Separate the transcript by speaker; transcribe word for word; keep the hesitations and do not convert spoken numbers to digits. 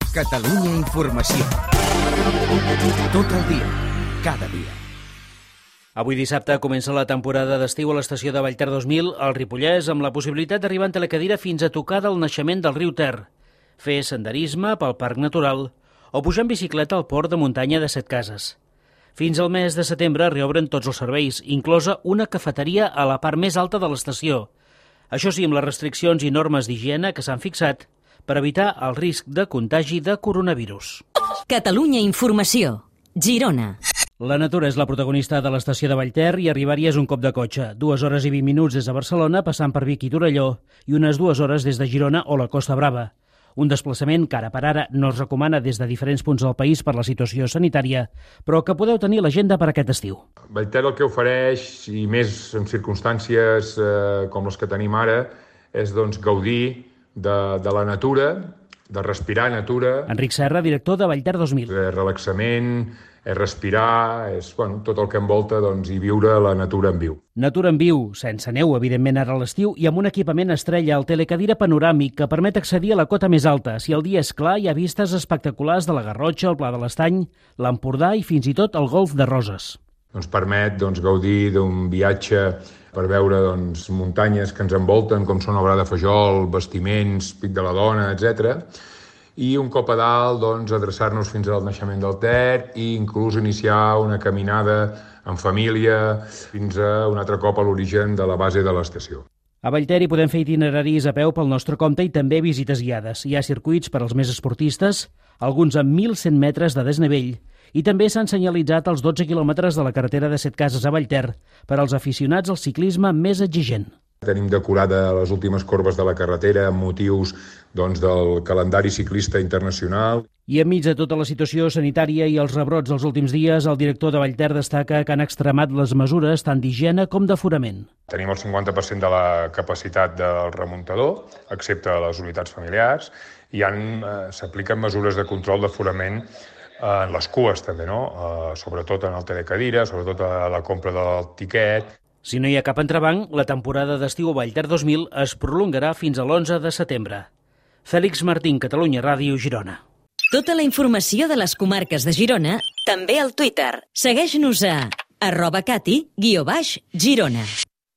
Speaker 1: Catalunya Informació. Tot el dia, cada dia.
Speaker 2: Avui dissabte comença la temporada d'estiu a l'estació de Vallter dos mil, al Ripollès, amb la possibilitat d'arribar en telecadira fins a tocar del naixement del riu Ter, fer senderisme pel Parc Natural o pujar en bicicleta al port de muntanya de Setcases. Fins al mes de setembre reobren tots els serveis, inclosa una cafeteria a la part més alta de l'estació. Això sí, amb les restriccions i normes d'higiene que s'han fixat per evitar el risc de contagi de coronavirus.
Speaker 3: Catalunya Informació, Girona.
Speaker 2: La natura és la protagonista de l'estació de Vallter i arribar-hi és un cop de cotxe. Dues hores i vint minuts des de Barcelona, passant per Vic i Torelló, i unes dues hores des de Girona o la Costa Brava. Un desplaçament que ara per ara no es recomana des de diferents punts del país per la situació sanitària, però que podeu tenir a l'agenda per aquest estiu.
Speaker 4: Vallter el que ofereix, i més en circumstàncies eh, com les que tenim ara, és doncs, gaudir de, de la natura, de respirar natura.
Speaker 2: Enric Serra, director de Vallter dos mil.
Speaker 4: És relaxament, és respirar, és bueno, tot el que envolta doncs, i viure la natura en viu.
Speaker 2: Natura en viu, sense neu, evidentment, ara a l'estiu, i amb un equipament estrella, el telecadira panoràmic, que permet accedir a la cota més alta. Si el dia és clar, hi ha vistes espectaculars de la Garrotxa, el Pla de l'Estany, l'Empordà i fins i tot el Golf de Roses.
Speaker 4: Ens permet doncs, gaudir d'un viatge per veure doncs, muntanyes que ens envolten, com són el Gra de Fajol, bastiments, Pic de la Dona, etcètera. I un cop a dalt, doncs, adreçar-nos fins al naixement del Ter i inclús iniciar una caminada en família fins a un altre cop a l'origen de la base de l'estació.
Speaker 2: A Vallter hi podem fer itineraris a peu pel nostre compte i també visites guiades. Hi ha circuits per als més esportistes, alguns amb mil cent metres de desnivell, i també s'han senyalitzat els dotze quilòmetres de la carretera de Setcases a Vallter per als aficionats al ciclisme més exigent.
Speaker 4: Tenim decorada les últimes corbes de la carretera amb motius doncs, del calendari ciclista internacional.
Speaker 2: I enmig de tota la situació sanitària i els rebrots dels últims dies, el director de Vallter destaca que han extremat les mesures tant d'higiene com d'aforament.
Speaker 4: Tenim el cinquanta per cent de la capacitat del remuntador, excepte les unitats familiars, i han, eh, s'apliquen mesures de control d'aforament en les cues també, no? Uh, sobretot en el telecadira, sobretot a la compra del tiquet.
Speaker 2: Si no hi ha cap entrebanc, la temporada d'estiu a Vallter dos mil es prolongarà fins a l'onze de setembre. Fèlix Martín, Catalunya Ràdio, Girona.
Speaker 3: Tota la informació de les comarques de Girona, també al Twitter. Segueix-nos a arroba cati guió baix Girona.